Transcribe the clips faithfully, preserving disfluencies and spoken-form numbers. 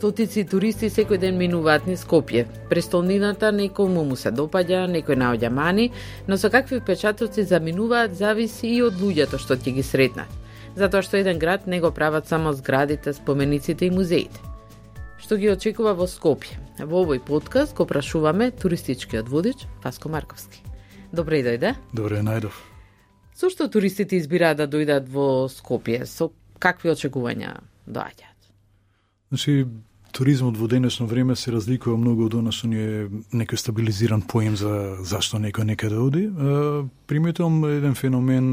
Стотици туристи секој ден минуваат низ Скопје. Престолнината некому му се допаѓа, некој наоѓа мани, но со какви впечатоци заминуваат зависи и од луѓето што ќе ги сретнат. Затоа што еден град не го прават само зградите, спомениците и музеите. Што ги очекува во Скопје? Во овој подкаст го прашуваме туристичкиот водич Васко Марковски. Добре дојде. Добре најдов. Со што туристите избираат да дојдат во Скопје? Со какви очекувања доаѓаат? Значи, туризмот во денешно време се разликува многу од она што ни е некој стабилизиран поем за зашто некој некаде оди. Приметувам еден феномен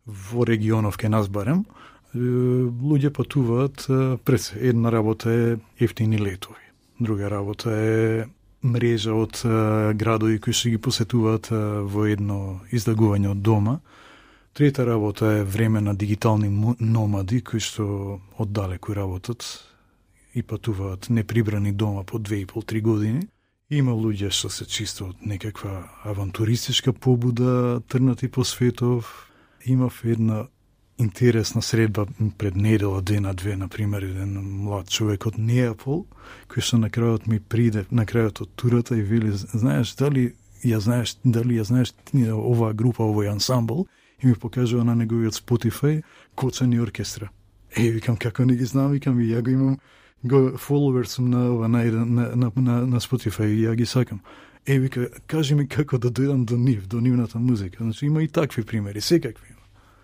во регионов кај нас барем. Луѓе патуваат пред една работа е ефтини летови. Друга работа е мрежа од градови кои што ги посетуваат во едно излагување од дома. Трета работа е време на дигитални номади кои што оддалеку работат и патуваат неприбрани дома по две и пол три години. Има луѓе што се чисто од некаква авантуристичка побуда, трнати по светов. Имав една интересна средба пред недела, дена-две, например, еден млад човек од Неапол, кој што на крајот ми приде, на крајот од турата и вели, знаеш, дали ја знаеш, дали ја знаеш оваа група, овој ансамбл, и ми покажува на неговиот Spotify Коцани оркестра. Е, викам, како не ги знам, викам, и ја го имам, го фоловер сум на, на, на, на, на, на Spotify и ја ги сакам. Е, вика, кажи ми како да дојдам до нив, до нивната музика. Значи, има и такви примери, секакви.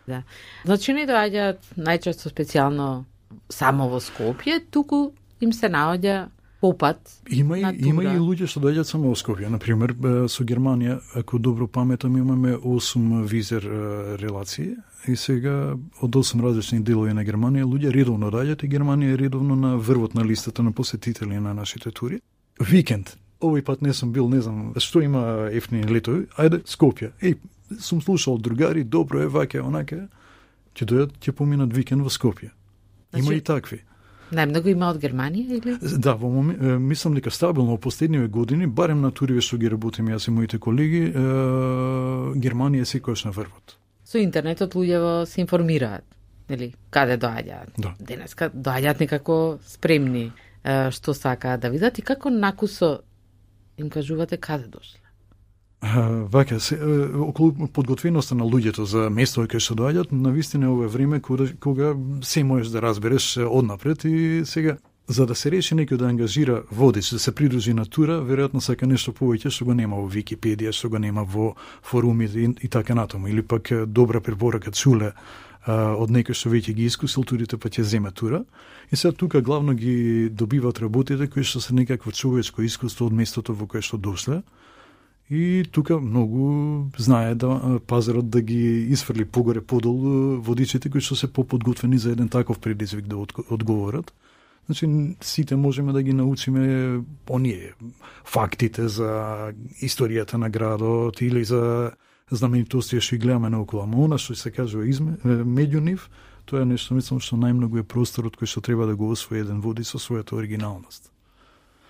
Да. Значи, не доаѓаат најчесто специјално само во Скопје, туку им се наоѓа попат. Има и, има и луѓе што доаѓаат само во Скопје. Например, со Германија, ако добро паметам, имаме осум визер релации и сега од осум различни делови на Германија луѓе редовно доаѓаат и Германија е редовно на врвот на листата на посетители на нашите тури. Викенд. Овој пат не сум бил, не знам, што има ефтини летови. Ајде, Скопје. Еј, сум слушал другари, добро е, ваке, онаке. Ќе дојдат, ќе поминат викенд во Скопје. Има значи, и такви. Најмногу има од Германија или? Да, во момент, мислам дека стабилно во последниве години, барем на туриве што ги работиме јас и моите колеги, е, Германија е секојаш на врвот. Со интернетот луѓе се информираат, нели, каде доаѓаат. Да. Денеска доаѓаат некако спремни е, што сакаат да видат и како накусо им кажувате каде дошле? Вака, се, околу подготвеноста на луѓето за место кај што доаѓаат, навистина ова време кога, кога се можеш да разбереш однапред и сега, за да се реши некој да ангажира водич, да се придружи на тура, веројатно сака нешто повеќе што го нема во Википедија, што го нема во форумите и, и така натаму. Или пак добра препорака чуле од некој што веќе ги искусил турите, па ќе земе тура. И сега тука главно ги добиваат работите кои што се некакво човечко искуство од местото во кое што дошле. И тука многу знае да пазарот да ги изфрли погоре подол водичите кои што се поподготвени за еден таков предизвик да одговорат. Значи, сите можеме да ги научиме оние фактите за историјата на градот или за знаменитости што ги гледаме наоколу. Ама она што се кажува изме, меѓу нив, тоа е нешто, мислам, што најмногу е просторот кој што треба да го освои еден водич со својата оригиналност.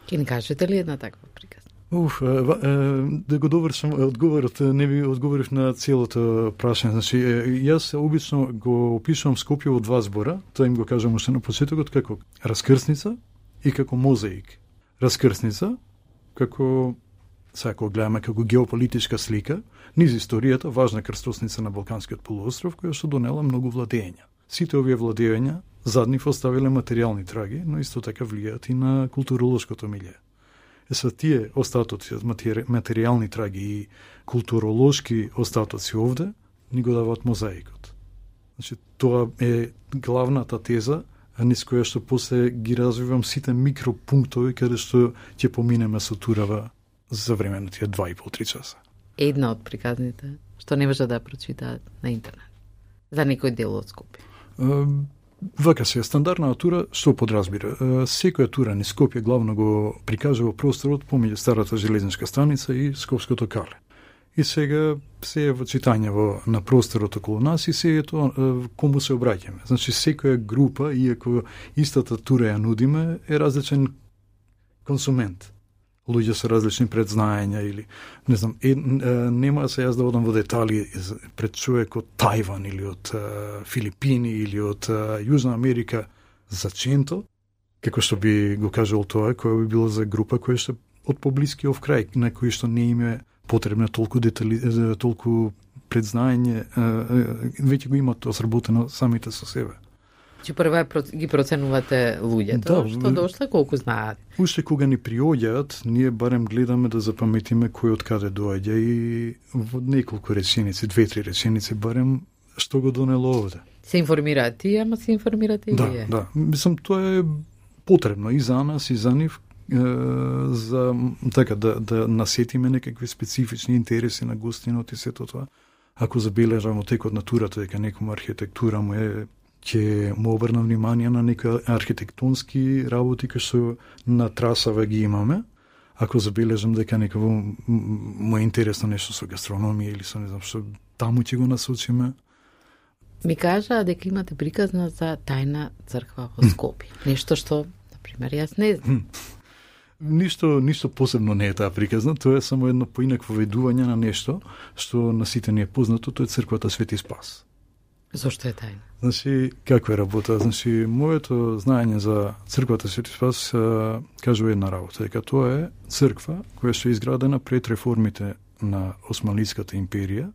Ке ни кажете ли една таква приказ? Уф, да го довршам одговорот, не би одговорив на целото прашање. Значи, јас обично го опишувам Скопје во два збора, тоа им го кажам уште на почетокот, како раскрсница и како мозаик. Раскрсница, како, сега ако гледаме како геополитичка слика, низ историјата, важна крстосница на Балканскиот полуостров, која што донела многу владења. Сите овие владења зад нив оставиле материјални траги, но исто така влијаат и на културолошкото милје. Е са тие остатоци од материјални траги и културолошки остатоци овде ни го даваат мозаикот. Значи, тоа е главната теза, а низ која што после ги развивам сите микропунктови каде што ќе поминеме со турава за време на тие два и пол три часа. Една од приказните што не може да прочитаат на интернет за некој дел од Скопје. Вака се, стандардна тура, што подразбира? Секоја тура низ Скопје главно го прикажува просторот помеѓу старата железничка станица и Скопското кале. И сега се е во читање во, на просторот околу нас и се е тоа кому се обраќаме. Значи, секоја група, иако истата тура ја нудиме, е различен консумент. Луѓе со различни предзнаења или, не знам, е, нема се јас да одам во детали пред човек од Тајван или од Филипини или од Јужна Америка за Ченто, како што би го кажал тоа, која би било за група која што од поблискиот крај, на кој што не име потребна толку детали, толку предзнаење, веќе го имат осработено самите со себе. Че прва ги проценувате луѓето, да, што дошле, колку знаат. Уште кога ни приоѓаат, ние барем гледаме да запаметиме кој од каде доаѓа и во неколку реченици, две-три реченици барем што го донело овде. Се информираат тие, ама се информирате и да, вие. Да, мислам тоа е потребно и за нас и за нив, е, за така да да насетиме некакви специфични интереси на гостинот и сето тоа. Ако забележаме текот на турата дека некоја архитектура му е, ќе му обрна внимание на некои архитектонски работи кои што на трасава ги имаме. Ако забележам дека некако му е интересно нешто со гастрономија или со не знам што, таму ќе го насочиме. Ми кажа дека имате приказна за тајна црква во Скопје. Нешто што, например, јас не знам. Ништо, ништо посебно не е таа приказна, тоа е само едно поинакво ведување на нешто што на сите ни е познато, тоа е црквата Свети Спас. Зошто е тајна? Значи, како е работа? Значи, моето знаење за црквата Свети Спас а, кажува една работа, дека тоа е црква која што е изградена пред реформите на Османлиската империја,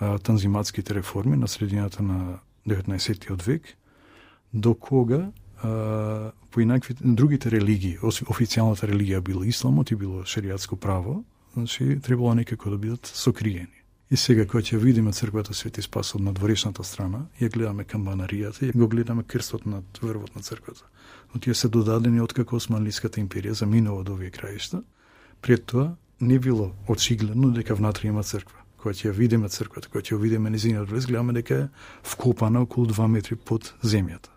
а, танзиматските реформи на средината на деветнаесеттиот век, до кога а, по инакви другите религии, официјалната религија било исламот и било шеријатско право, значи требало некако да бидат сокриени. И сега, кога ќе видиме црквата Свети Спас од надворешната страна, ја гледаме камбанаријата, ја го гледаме крстот над врвот на црквата. Но тие се додадени откако Османлиската империја заминува од овие краишта. Пред тоа не било очигледно дека внатре има црква. Кога ќе ја видиме црквата, кога ќе ја видиме незиниот влез, гледаме дека е вкопана околу два метри под земјата.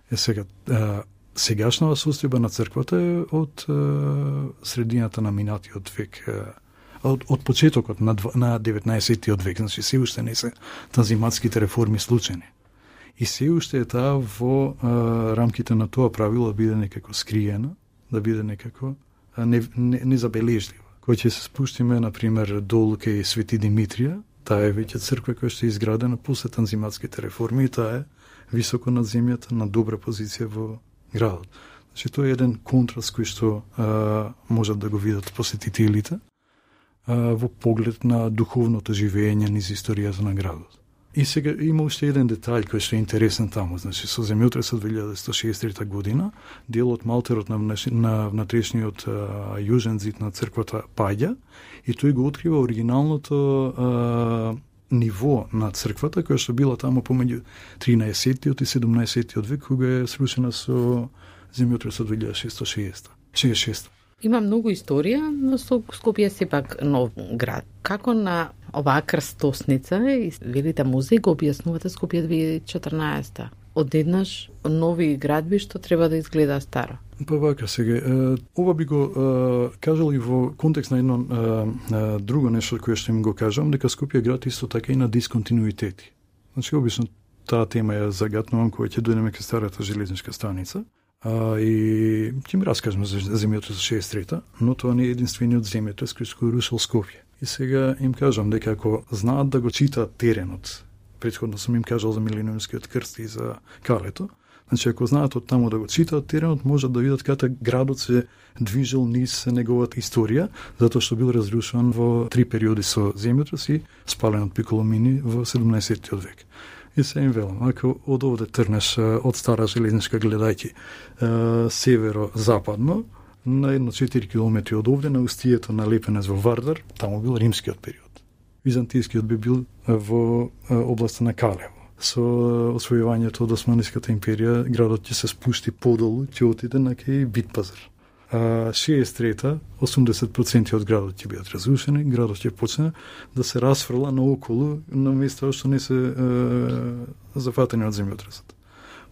Е сега, а, сегашната состојба на црквата е од а, средината на минатиот век, а, од, од почетокот на, на деветнаесеттиот век, значи се уште не се танзиматските реформи случени. И се уште е таа во а, рамките на тоа правило да биде некако скриена, да биде некако а, не, не, незабележлива. Кој ќе се спуштиме, например, долу кај Свети Димитрија, таа е веќе црква која што е изградена после танзиматските реформи и таа е високо над земјата, на добра позиција во градот. Значи, тоа е еден контраст кој што а, можат да го видат посетителите а, во поглед на духовното живење низ историјата на градот. И сега има уште еден детаљ кој што е интересен таму. Значи, со земјотресот две илјади сто шеесет и трета година, дел од малтерот на, на внатрешниот а, јужен зид на црквата паѓа и тој го открива оригиналното а, ниво на црквата, која што била таму помеѓу тринаесеттиот и седумнаесеттиот век, кога е срушена со земјотресот две илјади шестоста шеесет и шеста. Има многу историја, но Скопје е сепак нов град. Како на оваа крстосница, велите музеј, го објаснувате Скопје две илјади и четрнаесета? Одеднаш нови градби што треба да изгледа старо. Па вака сега, ова би го е, кажал и во контекст на едно е, е, друго нешто кое што им го кажам, дека Скопје е град исто така и на дисконтинуитети. Значи, обично таа тема ја загатнувам кога ќе дојдеме кај старата железничка станица. А, и ќе ми раскажеме за земјотресот за шеесет и трета, но тоа не е единствениот земјотрес кој што рушил Скопје. И сега им кажам дека ако знаат да го читаат теренот, претходно сум им кажал за Милениумскиот крст и за Калето, значи ако знаат од таму да го читаат теренот, можат да видат како градот се движел низ неговата историја, затоа што бил разрушуван во три периоди со земјотрес и спален од Пиколомини во седумнаесеттиот век. И се им велам, ако од овде трнеш од стара железничка гледајќи северо-западно, на едно четири километри од овде, на устието на Лепенец во Вардар, таму бил римскиот период. Византискиот би бил во областа на Калево. Со освојувањето од Османлиската империја, градот ќе се спушти подолу, ќе отиде на кај Битпазар. А шеесет и трета, осумдесет проценти од градот ќе бидат разрушени, градот ќе почне да се расфрла наоколу на места што не се е, зафатени од земјотресот.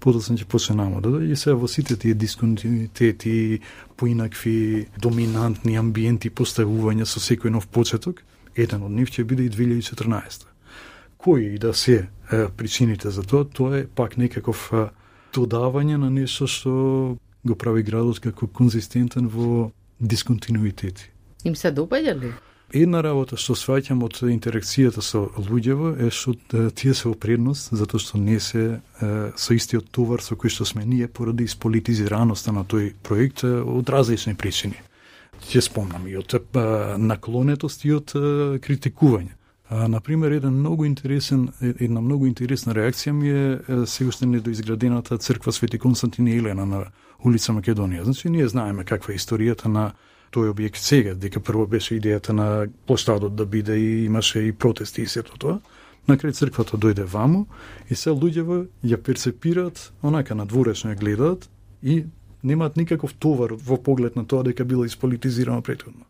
Подоцна ќе почне намо да дојде и се во сите тие дисконтинуитети, поинакви доминантни амбиенти поставувања со секој нов почеток, еден од нив ќе биде и две илјади и четрнаесета. Кои и да се е, причините за тоа, тоа е пак некаков е, додавање на нешто што го прави градот како конзистентен во дисконтинуитети. Им се допаѓа ли? Една работа што сваќам од интеракцијата со луѓево е што тие се опредност, затоа што не се е, со истиот товар со кој што сме ние поради исполитизираноста на тој проект од различни причини. Ќе спомнам и од наклонетост и од критикување. А, например, еден многу интересен, една многу интересна реакција ми е се уште недоизградената црква Свети Константин и Елена на улица Македонија. Значи, ние знаеме каква е историјата на тој објект сега, дека прво беше идејата на площадот да биде и имаше и протести и сето тоа. На крај црквата дојде ваму и се луѓево ја перцепираат, онака надворешно ја гледаат и немаат никаков товар во поглед на тоа дека било исполитизирано претходно.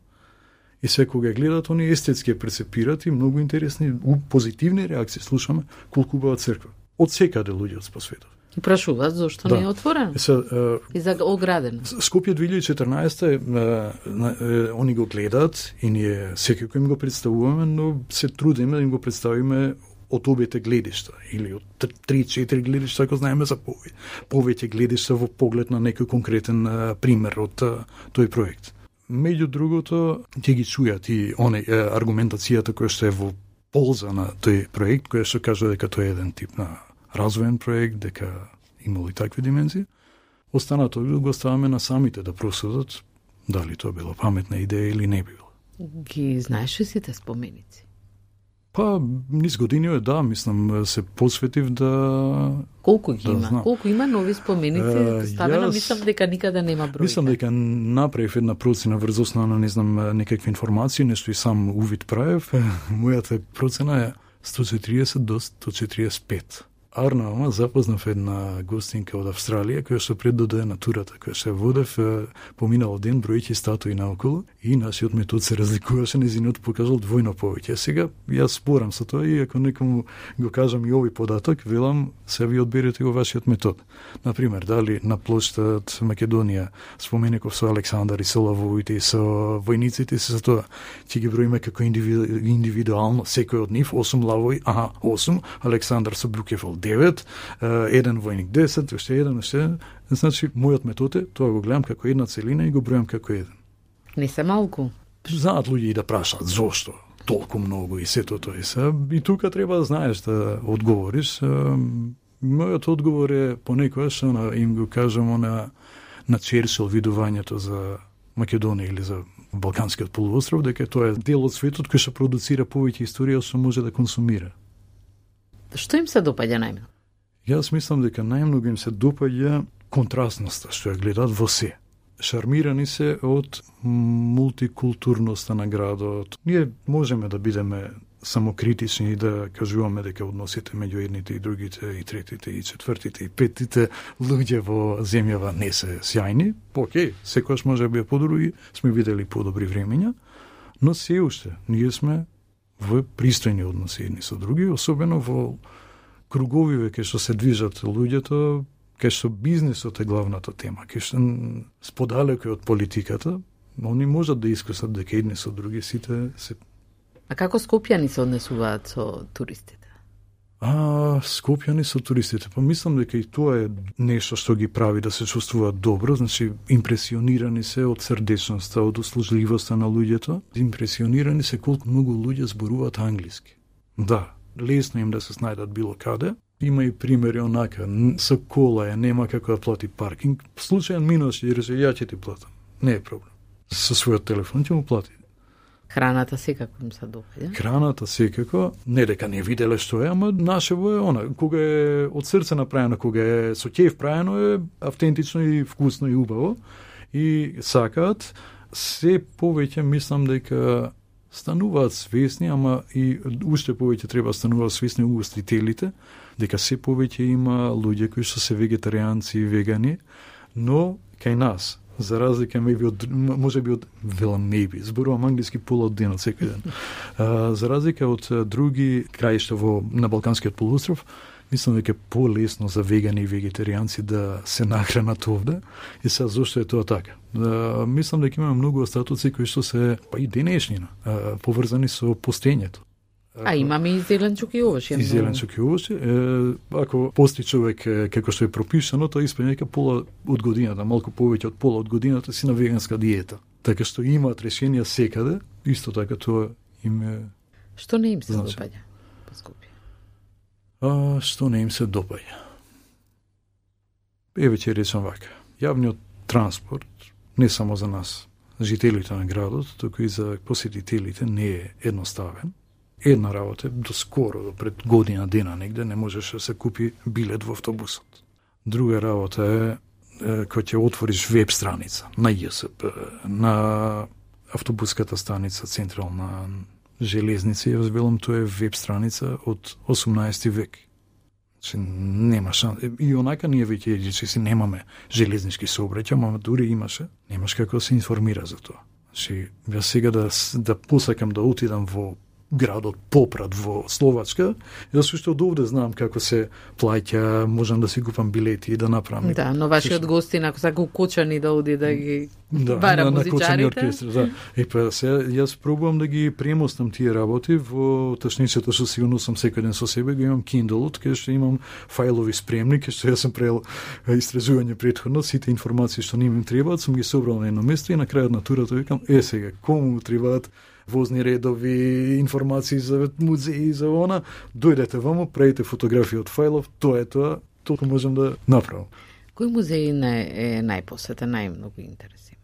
И се кога гледаат, они естетски ја перцепираат и многу интересни, позитивни реакции слушаме колку убава црква. Од секаде луѓе по светот. И прашуваат зошто да. не е отворено. Е, се, е, и за оградено. Скопје две илјади и четрнаесетта е, е, они го гледаат и ние секако им го представуваме, но се трудиме да им го представиме од обете гледишта или од три-четири гледишта, ако знаеме за повеќе. Повеќе гледишта во поглед на некој конкретен а, пример од а, тој проект. Меѓу другото, ќе ги чујат и оне аргументацијата која што е во полза на тој проект, која што кажува дека тој е еден тип на развоен проект, дека имало и такви димензии. Останато го оставаме на самите да просудат дали тоа било паметна идеја или не било. Ги знаеш ли сите споменици? Па, низ години е, да, мислам, се посветив да... Колку ги да има? знам. Колку има нови споменици? Uh, Ставено, јас... мислам дека никаде нема бројка. Мислам дека направив една процена врз основа на, не знам, некакви информации, нешто и сам увид правев. Мојата процена е сто четириесет до сто четириесет и пет. Арнава запознав една гостинка од Австралија, која што пред да дојде на турата, која што ја водев, поминал ден бројќи статуи наоколу и нашиот метод се разликуваше, незиниот покажал двојно повеќе. Сега јас спорам со тоа и ако некому го кажам и овој податок, велам се ви одберете го вашиот метод. Например, дали на плоштад Македонија споменеков со Александар и со лавовите и со војниците, се за тоа ќе ги броиме како индивиду, индивидуално секој од нив, осум лавови, аха, осум, Александар со Брукефол девет, еден војник десет, уште еден, уште. Значи, мојот метод е, тоа го гледам како една целина и го бројам како еден. Не се малку. Знаат луѓе и да прашаат зошто толку многу и сето тоа. И тука треба да знаеш да одговориш. Мојот одговор е понекогаш им го кажам на на Черчил видувањето за Македонија или за Балканскиот полуостров, дека тоа е дел од светот кој што продуцира повеќе историја што може да консумира. Што им се допаѓа најмногу? Јас мислам дека најмногу им се допаѓа контрастноста што ја гледаат во се. Шармирани се од мултикултурноста на градот. Ние можеме да бидеме самокритични и да кажуваме дека односите меѓу едните и другите, и третите, и четвртите, и петите луѓе во земјава не се сјајни. Океј, секојаш може би е подобро и сме видели подобри времења, но се уште ние сме во пристојни односи едни со други, особено во круговиве кај што се движат луѓето, кај што бизнисот е главната тема, кај што сподалеко од политиката, они можат да искусат дека едни со други сите се... А како скопјани се однесуваат со туристите? А, скопјани со туристите, па мислам дека и тоа е нешто што ги прави да се чувствуваат добро, значи импресионирани се од срдечноста, од услужливоста на луѓето, импресионирани се колку многу луѓе зборуваат англиски. Да, лесно им да се снајдат било каде. Има и примери онака, со кола е, нема како да плати паркинг. Случајен минуваш и рече, ја ќе ти платам. Не е проблем. Со својот телефон ќе му плати. Храната секако им се допаѓа. Храната секако, не дека не виделе што е, ама нашево е она, кога е од срце направено, кога е со ќеф правено е автентично и вкусно и убаво. И сакаат, се повеќе мислам дека стануваат свесни, ама и уште повеќе треба стануваат свесни угостителите, дека се повеќе има луѓе кои што се вегетаријанци и вегани, но кај нас, за разлика maybe од, може би од, велам maybe, зборувам англиски пола од денот секој ден, а, за разлика од други краишта во, на Балканскиот полуостров, мислам дека е полесно за вегани и вегетаријанци да се нахранат овде. И сега зошто е тоа така? Да, мислам дека имаме многу остатоци кои што се, па и денешнина, а, поврзани со постењето. А имаме и зеленчук и овош. И зеленчук и овош. Ако пости човек како што е пропишано, тоа испаѓа дека пола од годината, малку повеќе од пола од годината си на веганска диета. Така што имаат решенија секаде, исто така тоа им е... Што не им се значи, допаѓа по Скопје? А, што не им се допаѓа? Еве ќе речам вака. Јавниот транспорт, не само за нас, жителите на градот, туку и за посетителите, не е едноставен. Една работа, до скоро, до пред година дена негде, не можеше да се купи билет во автобусот. Друга работа е, е кој ќе отвориш веб страница на Ј С П, на автобуската станица Централна железница, ја збелам, тоа е веб страница од осумнаесети век. Че нема шанс. И онака ние веќе че си немаме железнички сообраќај, ама дури имаше, немаш како да се информира за тоа. Значи, ја сега да, да посакам да отидам во градот Попрат во Словачка, ја сушто од овде знам како се плаќа, можам да си купам билети и да направам. Да, но вашиот гостин, ако сака укочани да оди да ги да, бара на, музичарите. На оркестри, да. Е, па се, јас пробувам да ги премостам тие работи во ташницата што сигурно сум секој ден со себе, го имам Kindle-от, кај што имам фајлови спремни, кај што јас сум правил истражување претходно, сите информации што не ми требаат, сум ги собрал на едно место и на крајот на турата викам, е сега, кому требаат возни редови, информации за музеи, за она, дојдете вамо, правите фотографии од фајлов, тоа е тоа, толку можам да направам. Кој музеј е најпосетен, најмногу интереси?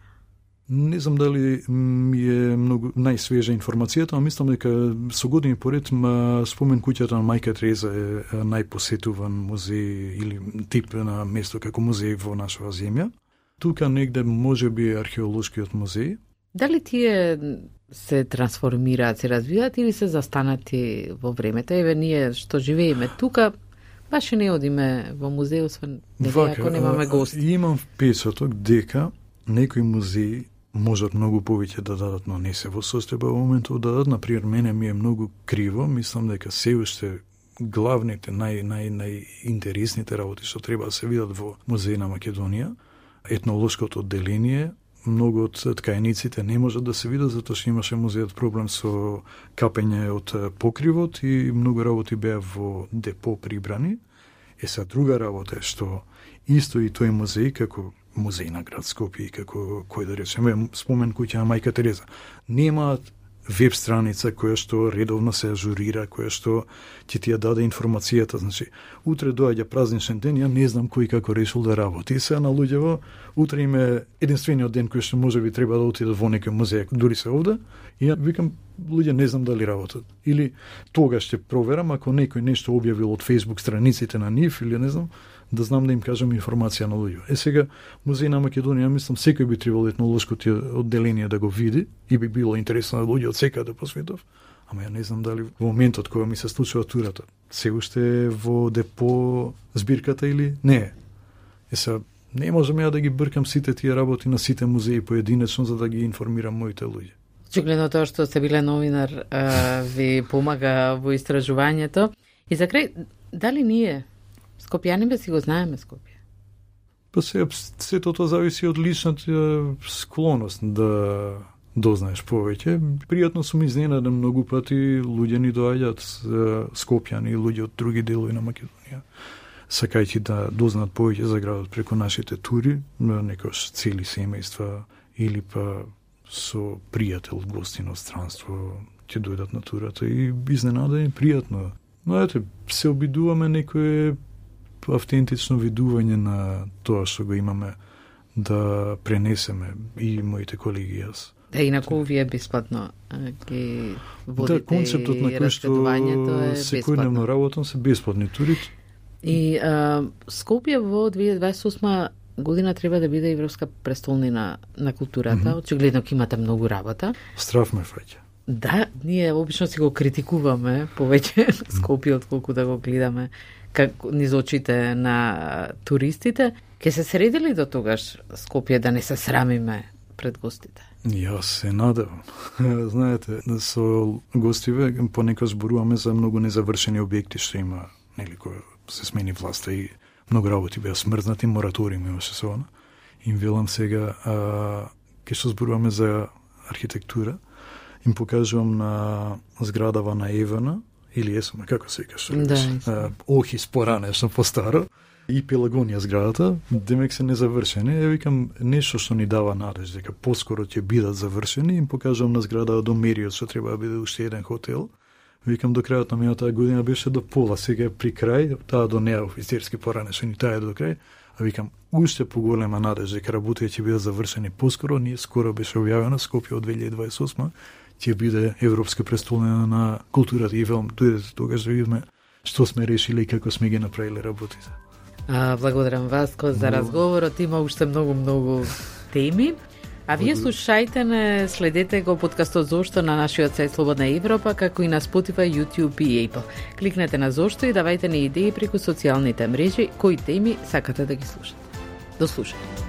Не знам дали ми е многу најсвежа информацијата, но мислам дека со години поред ма спомен куќата на Мајка Тереза е најпосетуван музеј или тип на место како музеј во нашава земја. Тука негде можеби е археолошкиот музеј. Дали тие се трансформираат, се развиваат или се застанати во времето? Еве ние што живееме тука, баш и не одиме во музеј, освен дека ако немаме гости. Имам впечаток дека некои музеи можат многу повеќе да дадат, но не се во состојба во моментот да дадат. Например, мене ми е многу криво, мислам дека се уште главните, нај, нај, најинтересните работи што треба да се видат во музеј на Македонија, етнолошкото одделение, многу од ткаениците не можат да се видат затоа што имаше музејот проблем со капење од покривот и многу работи беа во депо прибрани. Е са друга работа е што исто и тој музеј како музеј на град Скопје, како кој да речеме спомен куќа на Мајка Тереза, немаат веб страница која што редовно се ажурира, која што ќе ти ја даде информацијата. Значи, утре доаѓа празничен ден, ја не знам кој како решил да работи. И сега на луѓево, утре им е единствениот ден кој што може би треба да отидат во некој музеј, дури се овде, и ја викам, луѓе не знам дали работат. Или тогаш ќе проверам, ако некој нешто објавил од Facebook страниците на нив, или не знам, да знам да им кажам информација на луѓе. Е сега, музеј на Македонија, мислам, секој би требало етнолошкото одделение да го види и би било интересно на луѓе од секаде по светов. Ама ја не знам дали во моментот кога ми се случува турата, се уште е во депо збирката или не е. Е сега, не можам ја да ги бркам сите тие работи на сите музеи поединечно за да ги информирам моите луѓе. Очигледно тоа што сте биле новинар ви помага во истражувањето. И за крај, дали ние Скопјани си го знаеме Скопје? Па се, сето тоа зависи од личната склоност да дознаеш повеќе. Пријатно сум изненаден многу пати, луѓе ни доаѓаат Скопјани, луѓе од други делови на Македонија, сакајќи да дознаат повеќе за градот преку нашите тури, некош цели семејства или па со пријател, гостин од странство ќе дојдат на турата и изненадени пријатно. Но ете, се обидуваме некое автентично видување на тоа што го имаме да пренесеме и моите колеги јас. Да, инаку вие бесплатно ги водите. Да, концептот на кој што секојдневно работам се бесплатни тури. И а, Скопје во две илјади дваесет и осма година треба да биде европска престолнина на културата. Mm -hmm. Очигледно ќе имате многу работа. Страф ме фаќа. Да, ние обично си го критикуваме повеќе Скопје отколку да го гледаме како низ очите на туристите. Ке се средили до тогаш Скопје да не се срамиме пред гостите? Јас се надевам. Знаете, со гостиве понекогаш зборуваме за многу незавршени објекти што има, нели, кој се смени власта и многу работи беа смрзнати, мораториум имаше со она. Им велам сега, а, ке што зборуваме за архитектура, им покажувам на зградава на Евана, или Есома, како се каже, да, Охис поранешно, по-старо, и Пелагонија зградата, демек се незавршени. Е, викам, нешто што ни дава надеж дека поскоро ќе бидат завршени, им покажувам на зграда до Мериот што треба да биде уште еден хотел. Викам, до крајот на минатата година беше до пола, сега е при крај, таа до неа офицерски поранешени, таа е до крај. А викам, уште поголема надеж дека работите ќе бидат завршени поскоро. Ние скоро беше објавено Скопје од две илјади дваесет и осма ќе биде европска престолнина на културата и филм. Дојдете тогаш да видиме што сме решили и како сме ги направиле работите. А, благодарам Васко за разговорот. Има уште многу многу теми. А вие слушајте не, следете го подкастот Зошто на нашиот сајт Слободна Европа, како и на Spotify, YouTube и Apple. Кликнете на Зошто и давајте ни идеи преку социјалните мрежи кои теми сакате да ги слушате. До слушање.